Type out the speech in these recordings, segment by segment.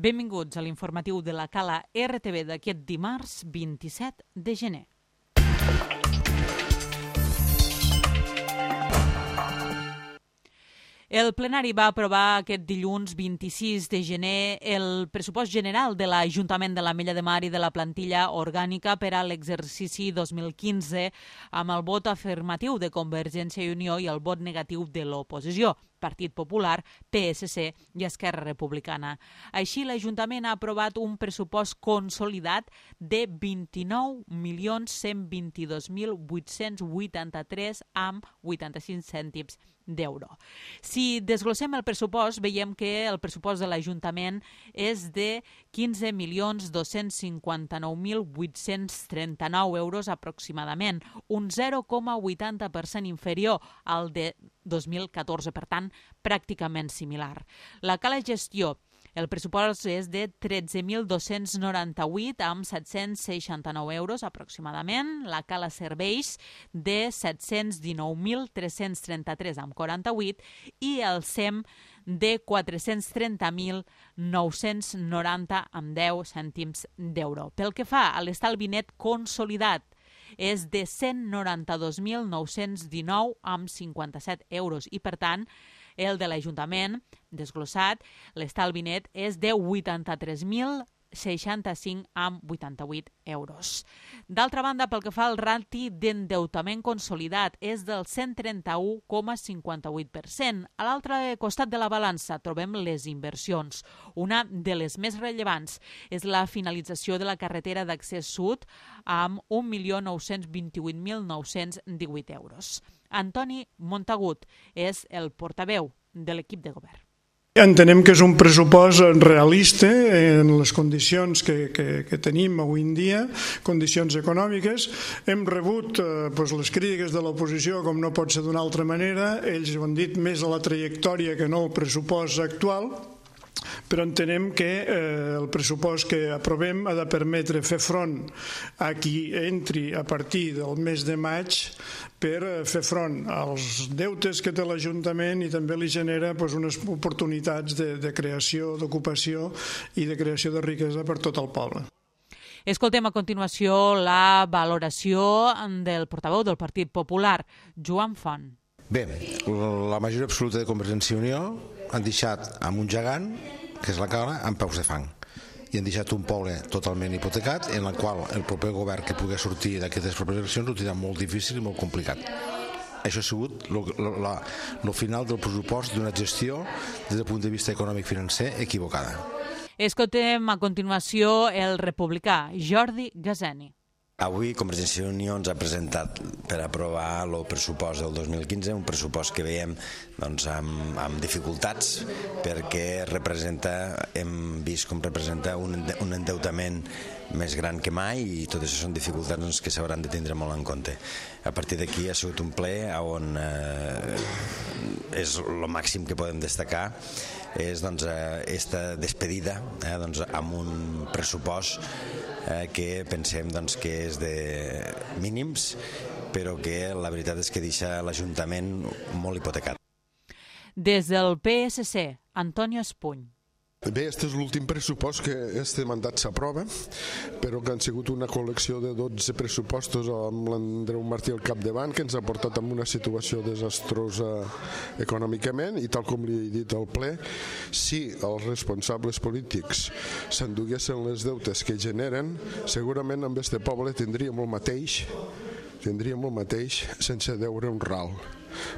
Benvinguts a l'informatiu de la Cala RTV d'aquest dimarts 27 de gener. El plenari va aprovar aquest dilluns 26 de gener el pressupost general de l'Ajuntament de l'Ametlla de Mar i de la plantilla orgànica per a l'exercici 2015 amb el vot afirmatiu de Convergència i Unió i el vot negatiu de l'oposició, Partit Popular, PSC i Esquerra Republicana. Així, l'Ajuntament ha aprovat un pressupost consolidat de 29.122.883 amb 85 cèntims d'euro. Si desglossem el pressupost, veiem que el pressupost de l'Ajuntament és de 15.259.839 euros aproximadament, un 0,80% inferior al de 2014, per tant, pràcticament similar. La Cala Gestió, el pressupost és de 13.298 amb 769 euros aproximadament, la Cala Serveis de 719.333 amb 48 i el SEM de 430.990 amb 10 cèntims d'euro. Pel que fa a l'estalvi net consolidat, és de 192.919 amb 57 euros i, per tant, el de l'Ajuntament, desglossat, l'estalvi net és de 83.065 amb 88 euros. D'altra banda, pel que fa al rati d'endeutament consolidat, és del 131,58%. A l'altre costat de la balança trobem les inversions. Una de les més rellevants és la finalització de la carretera d'accés sud amb 1.928.918 euros. Antoni Montagut és el portaveu de l'equip de govern. Entenem que és un pressupost realista en les condicions que tenim avui en dia, condicions econòmiques. Hem rebut les crítiques de l'oposició, com no pot ser d'una altra manera. Ells ho han dit més a la trajectòria que no al pressupost actual, però entenem que el pressupost que aprovem ha de permetre fer front a qui entri a partir del mes de maig per fer front als deutes que té l'Ajuntament i també li genera unes oportunitats de creació, d'ocupació i de creació de riquesa per tot el poble. Escoltem a continuació la valoració del portaveu del Partit Popular, Joan Font. Bé, la majoria absoluta de Convergència i Unió han deixat amb un gegant, que és la Cala, amb peus de fang. I han deixat un poble totalment hipotecat, en el qual el proper govern que pugui sortir d'aquestes properes eleccions ho tindrà molt difícil i molt complicat. Això ha sigut el final del pressupost d'una gestió, des del punt de vista econòmic-financer, equivocada. Escoltem a continuació el republicà Jordi Gazeni. Avui Convergència i Unió ens ha presentat per aprovar el pressupost del 2015, un pressupost que veiem amb dificultats perquè hem vist com representa un endeutament més gran que mai i tot això són dificultats que s'hauran de tindre molt en compte. A partir d'aquí ha sigut un ple on és el màxim que podem destacar és esta despedida amb un pressupost que pensem que és de mínims, però que la veritat és que deixa l'Ajuntament molt hipotecat. Des del PSC, Antonio Espuny. Bé, este és l'últim pressupost que este mandat s'aprova, però que han sigut una col·lecció de 12 pressupostos amb l'Andreu Martí al capdavant, que ens ha portat en una situació desastrosa econòmicament, i tal com li he dit al ple, si els responsables polítics s'enduguessin les deutes que generen, segurament amb este poble tindríem el mateix sense deure un ral,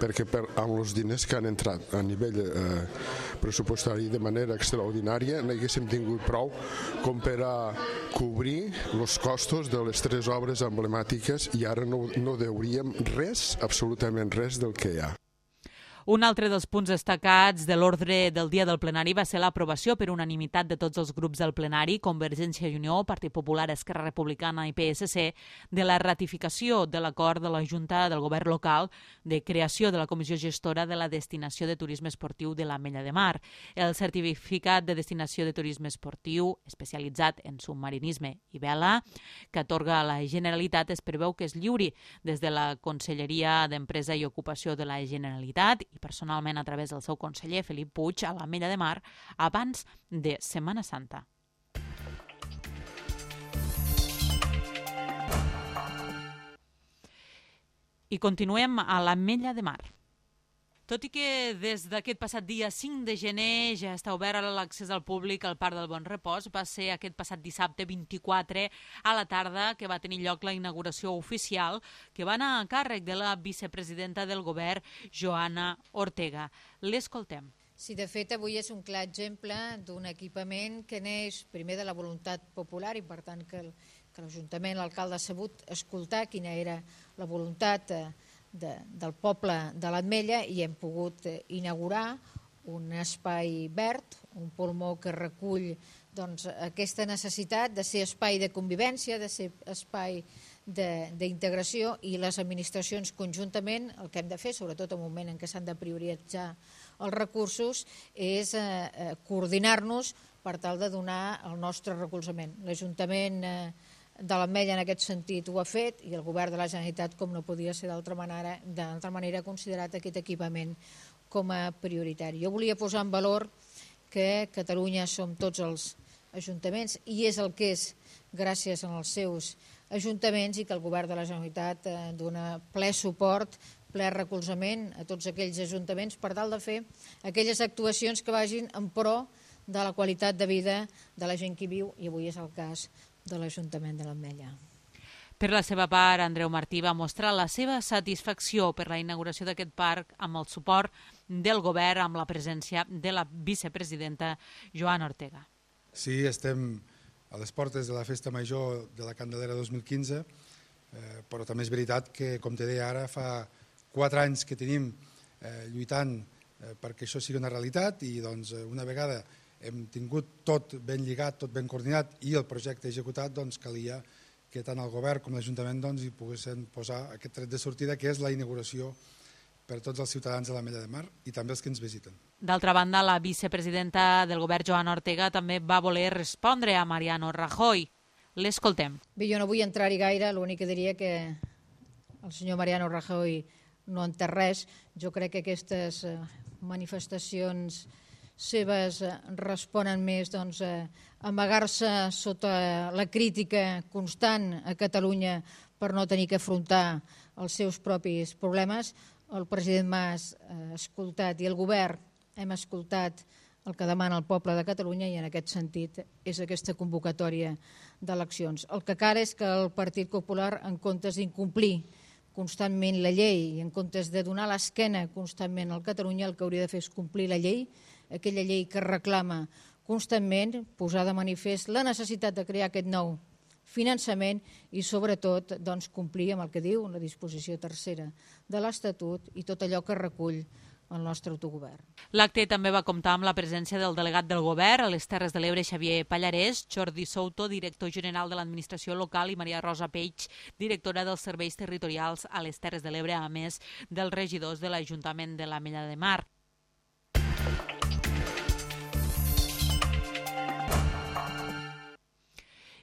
perquè amb els diners que han entrat a nivell pressupostari de manera extraordinària n'haguéssim tingut prou com per a cobrir els costos de les 3 obres emblemàtiques i ara no deuríem res, absolutament res del que hi ha. Un altre dels punts destacats de l'ordre del dia del plenari va ser l'aprovació per unanimitat de tots els grups del plenari, Convergència i Unió, Partit Popular, Esquerra Republicana i PSC, de la ratificació de l'acord de la Junta del Govern local de creació de la Comissió Gestora de la Destinació de Turisme Esportiu de l'Ametlla de Mar. El certificat de destinació de turisme esportiu especialitzat en submarinisme i vela que atorga la Generalitat es preveu que es lliuri des de la Conselleria d'Empresa i Ocupació de la Generalitat i personalment a través del seu conseller Felip Puig a l'Ametlla de Mar abans de Setmana Santa. I continuem a l'Ametlla de Mar. Tot i que des d'aquest passat dia 5 de gener ja està obert l'accés al públic al Parc del Bon Repòs, va ser aquest passat dissabte 24 a la tarda que va tenir lloc la inauguració oficial que va anar a càrrec de la vicepresidenta del govern, Joana Ortega. L'escoltem. Sí, de fet, avui és un clar exemple d'un equipament que neix primer de la voluntat popular i, per tant, que l'Ajuntament, l'alcalde ha sabut escoltar quina era la voluntat del poble de l'Ametlla i hem pogut inaugurar un espai verd, un pulmó que recull aquesta necessitat de ser espai de convivència, de ser espai d'integració i les administracions conjuntament el que hem de fer, sobretot en un moment en què s'han de prioritzar els recursos, és coordinar-nos per tal de donar el nostre recolzament. L'Ajuntament de l'Ametlla en aquest sentit ho ha fet i el govern de la Generalitat, com no podia ser d'altra manera, ha considerat aquest equipament com a prioritari. Jo volia posar en valor que Catalunya som tots els ajuntaments i és el que és gràcies als seus ajuntaments i que el govern de la Generalitat dona ple suport, ple recolzament a tots aquells ajuntaments per tal de fer aquelles actuacions que vagin en pro de la qualitat de vida de la gent que hi viu i avui és el cas de l'Ajuntament de l'Ametlla. Per la seva part, Andreu Martí va mostrar la seva satisfacció per la inauguració d'aquest parc amb el suport del govern, amb la presència de la vicepresidenta Joana Ortega. Sí, estem a les portes de la Festa Major de la Candelera 2015, però també és veritat que, com te deia ara, fa 4 anys que tenim lluitant perquè això sigui una realitat i una vegada hem tingut tot ben lligat, tot ben coordinat i el projecte executat, calia que tant el govern com l'Ajuntament hi poguessin posar aquest tret de sortida que és la inauguració per a tots els ciutadans de l'Ametlla de Mar i també els que ens visiten. D'altra banda, la vicepresidenta del govern, Joana Ortega, també va voler respondre a Mariano Rajoy. L'escoltem. Bé, jo no vull entrar-hi gaire, l'únic que diria que el senyor Mariano Rajoy no en té res. Jo crec que aquestes manifestacions seves responen més a amagar-se sota la crítica constant a Catalunya per no tenir que afrontar els seus propis problemes. El president Mas ha escoltat i el govern hem escoltat el que demana el poble de Catalunya i en aquest sentit és aquesta convocatòria d'eleccions. El que cal és que el Partit Popular, en comptes d'incomplir constantment la llei i en comptes de donar l'esquena constantment al Catalunya, el que hauria de fer és complir la llei, aquella llei que reclama constantment, posar de manifest la necessitat de crear aquest nou finançament i sobretot complir amb el que diu la disposició tercera de l'Estatut i tot allò que recull el nostre autogovern. L'acte també va comptar amb la presència del delegat del govern a les Terres de l'Ebre, Xavier Pallarès, Jordi Souto, director general de l'Administració Local i Maria Rosa Peix, directora dels Serveis Territorials a les Terres de l'Ebre, a més dels regidors de l'Ajuntament de l'Ametlla de Mar.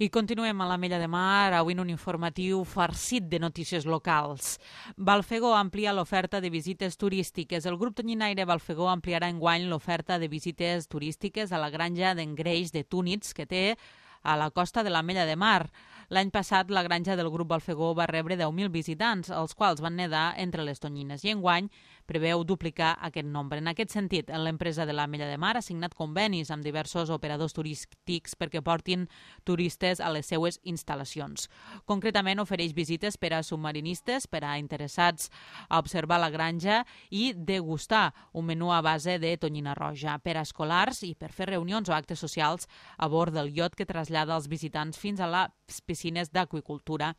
I continuem a l'Ametlla de Mar, avui en un informatiu farcit de notícies locals. Balfegó amplia l'oferta de visites turístiques. El grup tonyinaire Balfegó ampliarà enguany l'oferta de visites turístiques a la granja d'engreix de túnids que té a la costa de l'Ametlla de Mar. L'any passat, la granja del grup Balfegó va rebre 10.000 visitants, els quals van nedar entre les tonyines, i enguany preveu duplicar aquest nombre. En aquest sentit, l'empresa de l'Ametlla de Mar ha signat convenis amb diversos operadors turístics perquè portin turistes a les seues instal·lacions. Concretament, ofereix visites per a submarinistes, per a interessats a observar la granja i degustar un menú a base de tonyina roja, per a escolars i per fer reunions o actes socials a bord del iot que trasllada els visitants fins a les piscines d'aqüicultura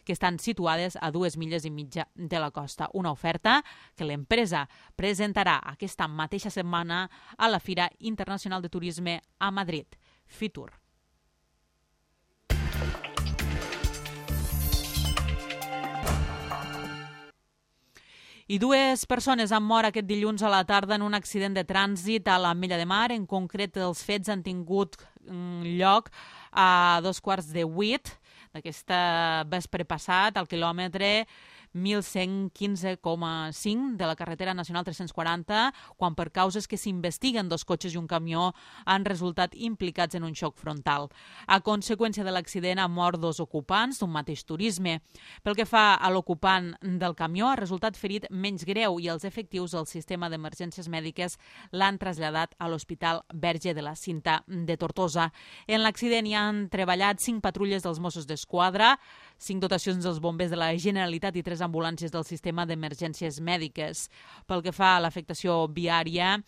que estan situades a 2,5 milles de la costa. Una oferta que l'empresa presentarà aquesta mateixa setmana a la Fira Internacional de Turisme a Madrid, Fitur. I 2 persones han mort aquest dilluns a la tarda en un accident de trànsit a l'Ametlla de Mar. En concret, els fets han tingut lloc a 7:15 d'aquesta vespre passat, al quilòmetre 1115,5 de la carretera nacional 340, quan per causes que s'investiguen 2 cotxes i un camió han resultat implicats en un xoc frontal. A conseqüència de l'accident han mort 2 ocupants d'un mateix turisme. Pel que fa a l'ocupant del camió, ha resultat ferit menys greu i els efectius del sistema d'emergències mèdiques l'han traslladat a l'Hospital Verge de la Cinta de Tortosa. En l'accident hi han treballat 5 patrulles dels Mossos d'Esquadra, 5 dotacions dels bombers de la Generalitat i 3 ambulàncies del sistema d'emergències mèdiques. Pel que fa a l'afectació viària,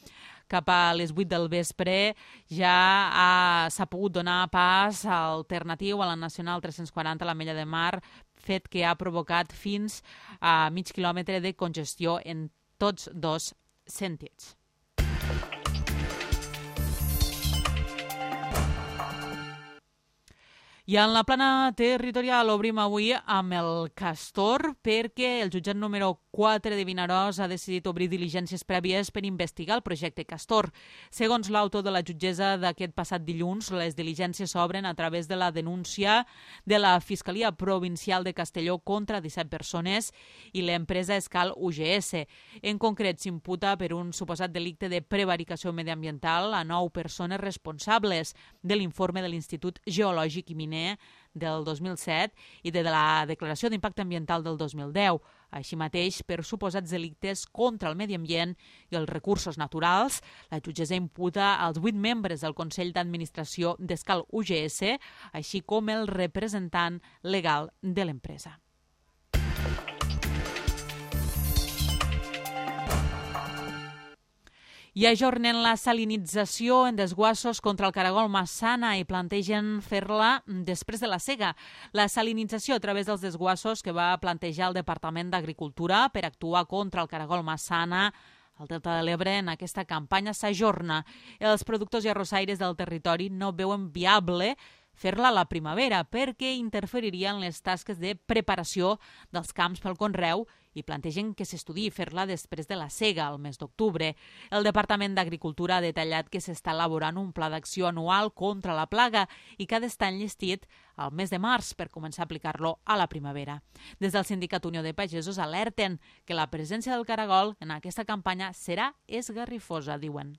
cap a les 8 del vespre ja s'ha pogut donar pas alternatiu a la Nacional 340 a l'Ametlla de Mar, fet que ha provocat fins a mig quilòmetre de congestió en tots 2 sentits. I en la plana territorial obrim avui amb el Castor perquè el jutjat número 4 de Vinaròs ha decidit obrir diligències prèvies per investigar el projecte Castor. Segons l'autor de la jutgessa d'aquest passat dilluns, les diligències s'obren a través de la denúncia de la Fiscalia Provincial de Castelló contra 17 persones i l'empresa Escal UGS. En concret, s'imputa per un suposat delicte de prevaricació mediambiental a 9 persones responsables de l'informe de l'Institut Geològic i Miner del 2007 i de la Declaració d'Impacte Ambiental del 2010. Així mateix, per suposats delictes contra el medi ambient i els recursos naturals, la jutgessa imputa als 8 membres del Consell d'Administració d'Escal UGS, així com el representant legal de l'empresa. I ajornen la salinització en desguassos contra el caragol Massana i plantegen fer-la després de la sega. La salinització a través dels desguassos que va plantejar el Departament d'Agricultura per actuar contra el caragol Massana al Delta de l'Ebre en aquesta campanya s'ajorna. Els productors i arrossaires del territori no veuen viable fer-la a la primavera perquè interferiria en les tasques de preparació dels camps pel conreu i plantegen que s'estudiï fer-la després de la sega, al mes d'octubre. El Departament d'Agricultura ha detallat que s'està elaborant un pla d'acció anual contra la plaga i que ha d'estar enllestit al mes de març per començar a aplicar-lo a la primavera. Des del Sindicat Unió de Pagesos alerten que la presència del caragol en aquesta campanya serà esgarrifosa, diuen.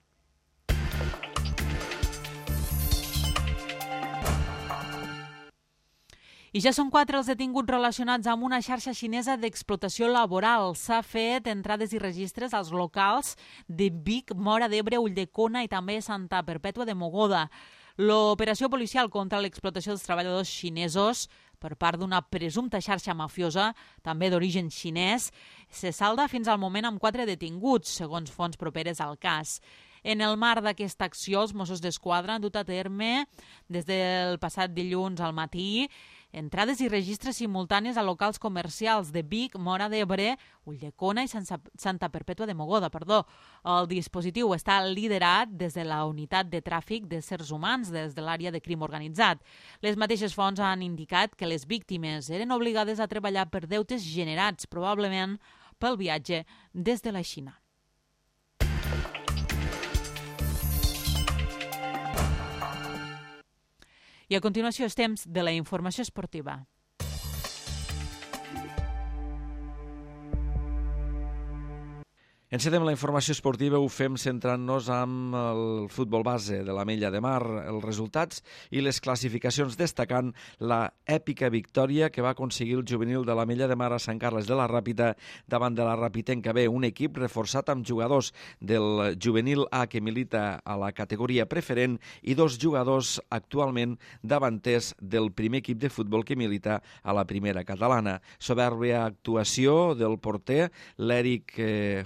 I ja són 4 els detinguts relacionats amb una xarxa xinesa d'explotació laboral. S'ha fet entrades i registres als locals de Vic, Móra d'Ebre, Ulldecona i també Santa Perpètua de Mogoda. L'operació policial contra l'explotació dels treballadors xinesos per part d'una presumpta xarxa mafiosa, també d'origen xinès, se salda fins al moment amb 4 detinguts, segons fonts properes al cas. En el marc d'aquesta acció, els Mossos d'Esquadra han dut a terme des del passat dilluns al matí entrades i registres simultànies a locals comercials de Vic, Móra d'Ebre, Ulldecona i Santa Perpètua de Mogoda. El dispositiu està liderat des de la Unitat de Tràfic d'Éssers Humans, des de l'àrea de crim organitzat. Les mateixes fonts han indicat que les víctimes eren obligades a treballar per deutes generats, probablement pel viatge des de la Xina. I a continuació és temps de la informació esportiva. Encetem la informació esportiva, ho fem centrant-nos amb el futbol base de l'Ametlla de Mar, els resultats i les classificacions, destacant la èpica victòria que va aconseguir el juvenil de l'Ametlla de Mar a Sant Carles de la Ràpita davant de la Rapitenca B, un equip reforçat amb jugadors del juvenil A que milita a la categoria preferent i 2 jugadors actualment davanters del primer equip de futbol que milita a la primera catalana. Soberbia actuació del porter, l'Eric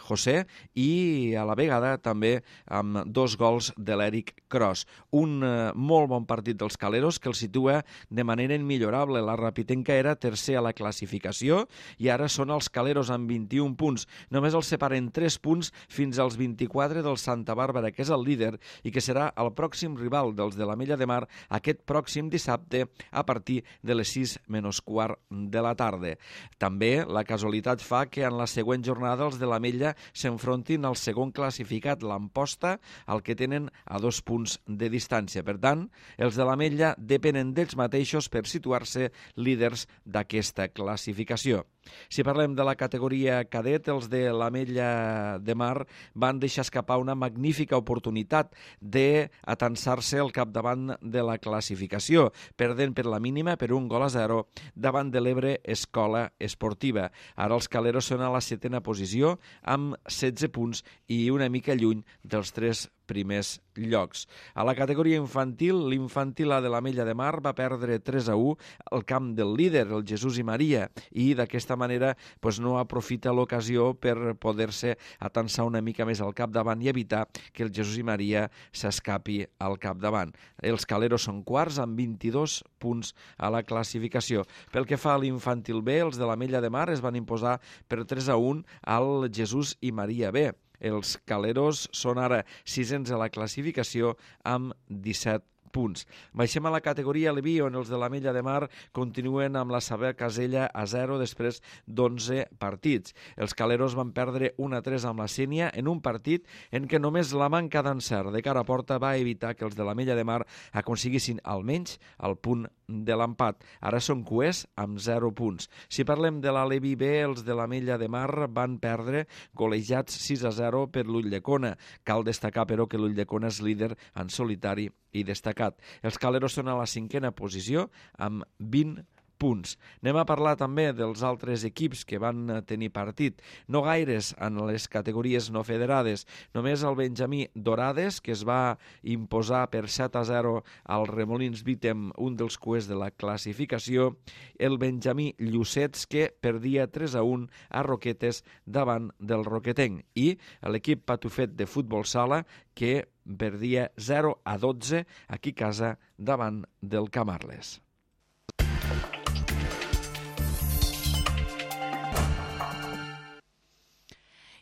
José, i a la vegada també amb 2 gols de l'Eric Cros. Un molt bon partit dels caleros que el situa de manera immillorable. La Rapitenca era tercer a la classificació i ara són els caleros amb 21 punts. Només els separen 3 punts fins als 24 del Santa Bàrbara, que és el líder i que serà el pròxim rival dels de l'Ametlla de Mar aquest pròxim dissabte a partir de les 6:15 de la tarda. També la casualitat fa que en la següent jornada els de l'Ametlla s'enfrontin al segon classificat, l'Amposta, al que tenen a 2 punts de distància. Per tant, els de l'Ametlla depenen d'ells mateixos per situar-se líders d'aquesta classificació. Si parlem de la categoria cadet, els de l'Ametlla de Mar van deixar escapar una magnífica oportunitat d'atansar-se al capdavant de la classificació, perdent per la mínima per 1-0 davant de l'Ebre Escola Esportiva. Ara els caleros són a la 7a posició amb 16 punts i una mica lluny dels 3 primers llocs. A la categoria infantil, l'infantil A de l'Ametlla de Mar va perdre 3-1 al camp del líder, el Jesús i Maria, i d'aquesta manera no aprofita l'ocasió per poder-se atansar una mica més al capdavant i evitar que el Jesús i Maria s'escapi al capdavant. Els caleros són quarts amb 22 punts a la classificació. Pel que fa a l'infantil B, els de l'Ametlla de Mar es van imposar per 3-1 al Jesús i Maria B. Els caleros són ara 6ens a la classificació amb 17 punts. Baixem a la categoria Leví, on els de l'Ametlla de Mar continuen amb la seva casella a 0 després d'11 partits. Els caleros van perdre 1-3 amb la Sénia en un partit en què només la manca d'encert de cara a porta va evitar que els de l'Ametlla de Mar aconseguissin almenys el punt de l'empat. Ara són cuers amb 0 punts. Si parlem de la Leví B, els de l'Ametlla de Mar van perdre golejats 6-0 per l'Ulldecona. Cal destacar, però, que l'Ulldecona és líder en solitari i destacat. Els caleros són a la 5a posició amb 20 punts. Anem a parlar també dels altres equips que van tenir partit. No gaires en les categories no federades. Només el Benjamí Dorades, que es va imposar per 7-0 al Remolins Vítem, un dels cuers de la classificació. El Benjamí Llucets, que perdia 3-1 a Roquetes davant del Roquetenc. I l'equip Patufet de futbol sala, que perdia 0-12 aquí a casa davant del Camarles.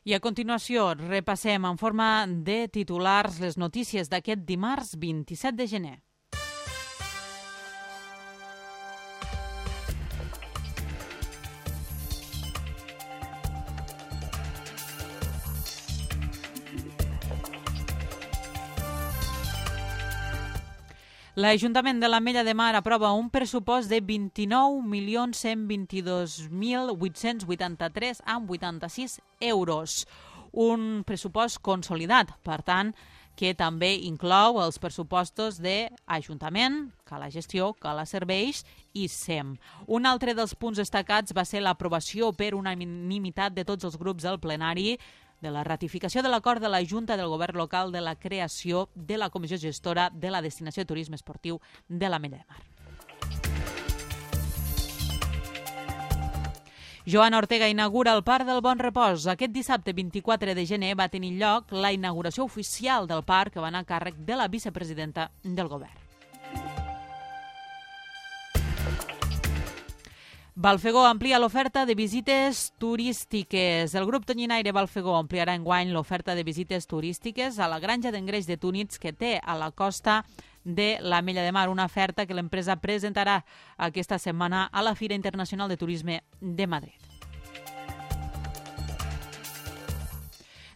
I a continuació repassem en forma de titulars les notícies d'aquest dimarts 27 de gener. L'Ajuntament de l'Ametlla de Mar aprova un pressupost de 29.122.883,86 euros. Un pressupost consolidat, per tant, que també inclou els pressupostos d'Ajuntament, Cala Gestió, Cala Serveis i SEM. Un altre dels punts destacats va ser l'aprovació per unanimitat de tots els grups del plenari de la ratificació de l'acord de la Junta del Govern Local de la creació de la Comissió Gestora de la Destinació de Turisme Esportiu de l'Ametlla de Mar. Joan Ortega inaugura el Parc del Bon Repòs. Aquest dissabte 24 de gener va tenir lloc la inauguració oficial del parc, que va anar a càrrec de la vicepresidenta del govern. Balfegó amplia l'oferta de visites turístiques. El grup Tonyinaire Balfegó ampliarà enguany l'oferta de visites turístiques a la granja d'engreix de túnids que té a la costa de l'Ametlla de Mar, una oferta que l'empresa presentarà aquesta setmana a la Fira Internacional de Turisme de Madrid.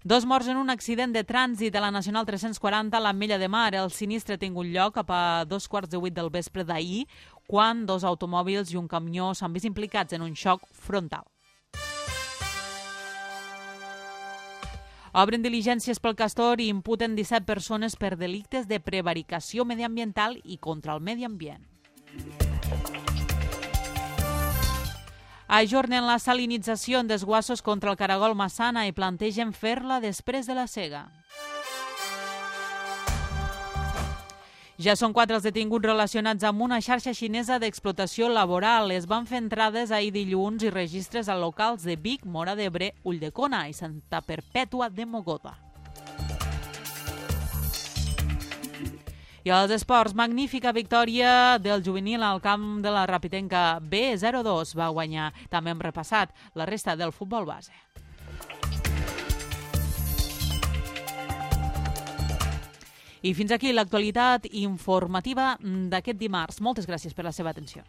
2 morts en un accident de trànsit a la Nacional 340 a l'Ametlla de Mar. El sinistre ha tingut lloc cap a 7:15 del vespre d'ahir, quan 2 automòbils i un camió s'han vist implicats en un xoc frontal. Obren diligències pel Castor i imputen 17 persones per delictes de prevaricació mediambiental i contra el medi ambient. Ajornen la salinització en desguassos contra el caragol Massana i plantegen fer-la després de la sega. Ja són 4 els detinguts relacionats amb una xarxa xinesa d'explotació laboral. Es van fer entrades ahir dilluns i registres a locals de Vic, Móra d'Ebre, Ulldecona i Santa Perpètua de Mogoda. I als esports, magnífica victòria del juvenil al camp de la Rapitenca B, 0-2. Va guanyar. També hem repassat la resta del futbol base. I fins aquí l'actualitat informativa d'aquest dimarts. Moltes gràcies per la seva atenció.